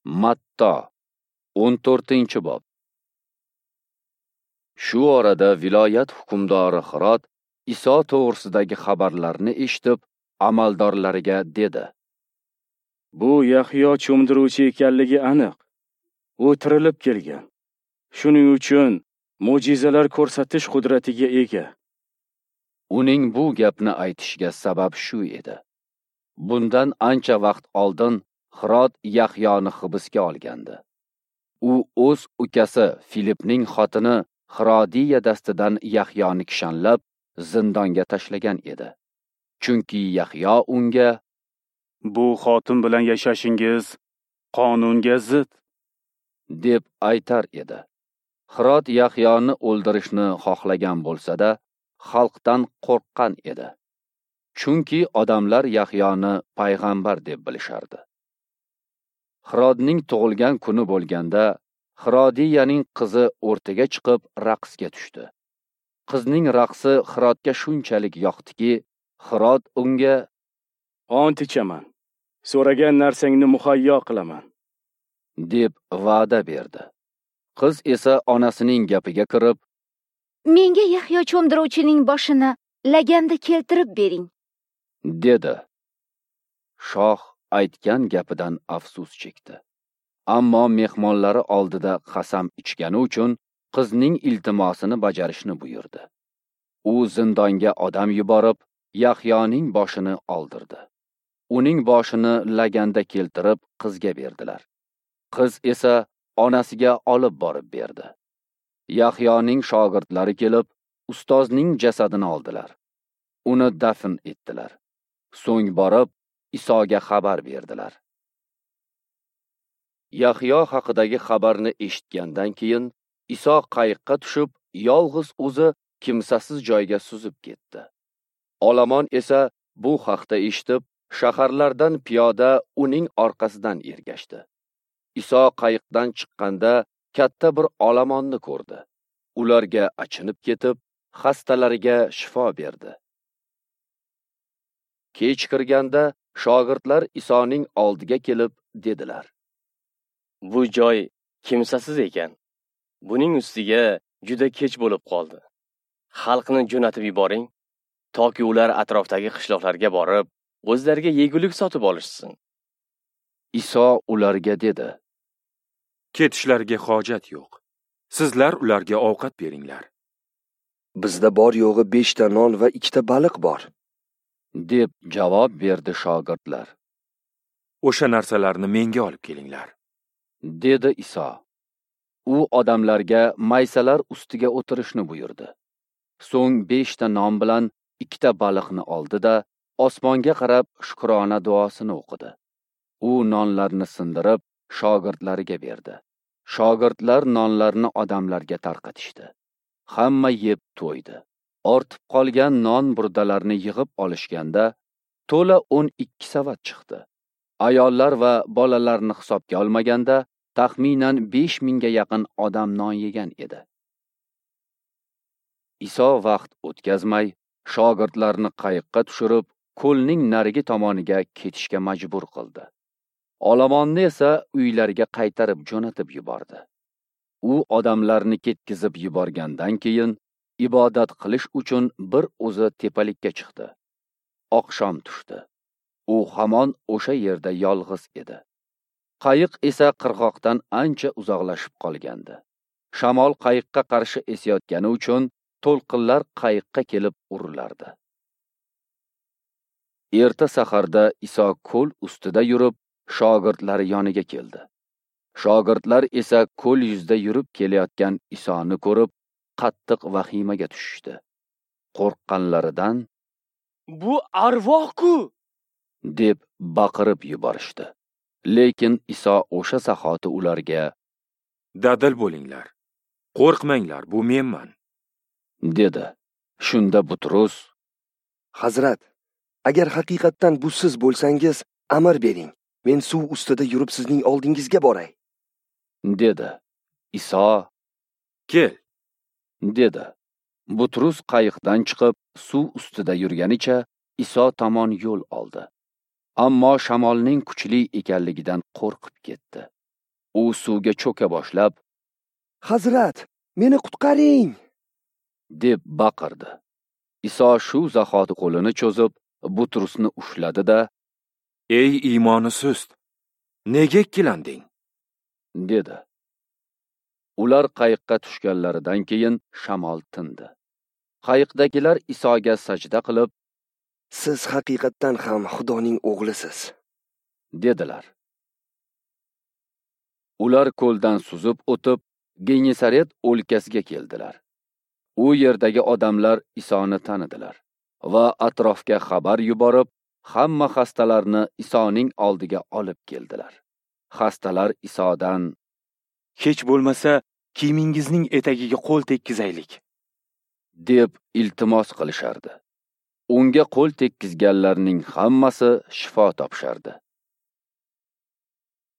Matto 14-bob. Shu orada viloyat hukmdori Hirod Iso to'g'risidagi xabarlarni eshitib, amaldorlariga dedi: Bu Yahyo cho'mdiruvchi ekanligi aniq. U tirilib kelgan. Shuning uchun mo'jizalar ko'rsatish qudratiga ega. Uning bu gapni aytishiga sabab shu edi. Bundan ancha vaqt oldin Hirod Yahyoni hibsga olgandi. U o'z ukasi Filipning xotini Hirodiya dastidan Yahyoni kishanlab zindonga tashlagan edi. Chunki Yahyo unga: "Bu xotin bilan yashashingiz qonunga zid" deb aytar edi. Hirod Yahyoni o'ldirishni xohlagan bo'lsa-da, xalqdan qo'rqqan edi. Chunki odamlar Yahyoni payg'ambar deb bilishardi. Hirodning tug'ilgan kuni bo'lganda, Hirodiyaning qizi o'rtaga chiqib raqsga tushdi. Qizning raqsi Hirodga shunchalik yoqdiki, Hirod unga: "Ont ichaman, so'ragan narsangni muhayyo qilaman" deb va'da berdi. Qiz esa onasining gapiga kirib, "Menga Yahyo cho'mdiruvchining boshini laganda keltirib bering" dedi. Shoh aytgan gapidan afsus chekdi. Ammo mehmonlari oldida qasam ichgani uchun qizning iltimosini bajarishni buyurdi. U zindonga odam yuborib, Yahyoning boshini oldirdi. Uning boshini laganda keltirib qizga berdilar. Qiz esa onasiga olib borib berdi. Yahyoning shogirdlari kelib, ustozning jasadini oldilar. Uni dafn etdilar. So'ng borib Isoga xabar berdilar. Yahyo haqidagi xabarni eshitgandan keyin Iso qayiqqa tushib, yolg'iz o'zi kimsasiz joyga suzib ketdi. Olomon esa bu haqda eshitib, shaharlardan piyoda uning orqasidan ergashdi. Iso qayiqdan chiqqanda katta bir olomonni ko'rdi. Ularga achinib ketib, xastalariga shifo berdi. Kech kirganda shogirdlar Isoning oldiga kelib dedilar: "Bu joy kimsasiz ekan. Buning ustiga juda kech bo'lib qoldi. Xalqni jo'natib yuboring, toki ular atrofdagi qishloqlarga borib, o'zlariga yegulik sotib olishsin." Iso ularga dedi: "Ketishlariga hojat yo'q. Sizlar ularga ovqat beringlar." "Bizda bor yo'g'i 5 ta non va 2 ta baliq bor" deb javob berdi shogirdlar. "O'sha narsalarni menga olib kelinglar" dedi Iso. U odamlarga maysalar ustiga o'tirishni buyurdi. So'ng 5 ta non bilan 2 ta baliqni oldi-da, osmonga qarab shukrona duosini o'qidi. U nonlarni sindirib shogirdlariga berdi. Shogirdlar nonlarni odamlarga tarqatishdi. Hamma yeb to'ydi. Ortib qolgan non burdalarni yig'ib olishganda to'la 12 savat chiqdi. Ayollar va bolalarni hisobga olmaganda taxminan 5000 ga yaqin odam non yegan edi. Iso vaqt o'tkazmay shogirdlarni qayiqqa tushirib, ko'lning narigi tomoniga ketishga majbur qildi. Olomonni esa uylariga qaytarib jo'natib yubordi. U odamlarni ketkizib yuborgandan keyin ibodat qilish uchun bir o'zi tepalikka chiqdi. Oqshom tushdi. U hamon o'sha yerda yolg'iz edi. Qayiq esa qirg'oqdan ancha uzoqlashib qolgandi. Shamol qayiqqa qarshi esayotgani uchun to'lqinlar qayiqqa kelib urilardi. Erta saharda Iso ko'l ustida yurib, shogirdlari yoniga keldi. Shogirdlar esa ko'l yuzida yurib kelayotgan Isoni ko'rib, qattiq vahimaga tushishdi. Qo'rqqanlaridan "Bu arvoh-ku!" deb baqirib yuborishdi. Lekin Iso o'sha zahoti ularga: "Dadil bo'linglar. Qo'rqmanglar, bu menman" dedi. Shunda Butrus: "Hazrat, agar haqiqatdan bu siz bo'lsangiz, amr bering. Men suv ustida yurib sizning oldingizga boray" dedi. Iso: "Kel" dedi. Butrus qayiqdan chiqib, suv ustida yurganicha Iso tomon yo'l oldi. Ammo shamolning kuchli ekanligidan qo'rqib ketdi. U suvga cho'ka boshlab, "Hazrat, meni qutqaring!" deb baqirdi. Iso shu zahoti qo'lini cho'zib, Butrusni ushladi-da, "Ey iymoni sust, nega ikkilanding?" dedi. Ular qayiqqa tushganlaridan keyin shamol tindi. Qayiqdagilar Isoga sajda qilib, "Siz haqiqatdan ham Xudoning o'g'lisiz", dedilar. Ular ko'ldan suzib o'tib, Genesaret o'lkasiga keldilar. U yerdagi odamlar Isoni tanidilar va atrofga xabar yuborib, hamma xastalarni Isoning oldiga olib keldilar. Xastalar Isodan: "Hech bo'lmasa, kiyimingizning etagiga qo'l tekkizaylik", deb iltimos qilishardi. Unga qo'l tekkizganlarning hammasi shifo topishardi.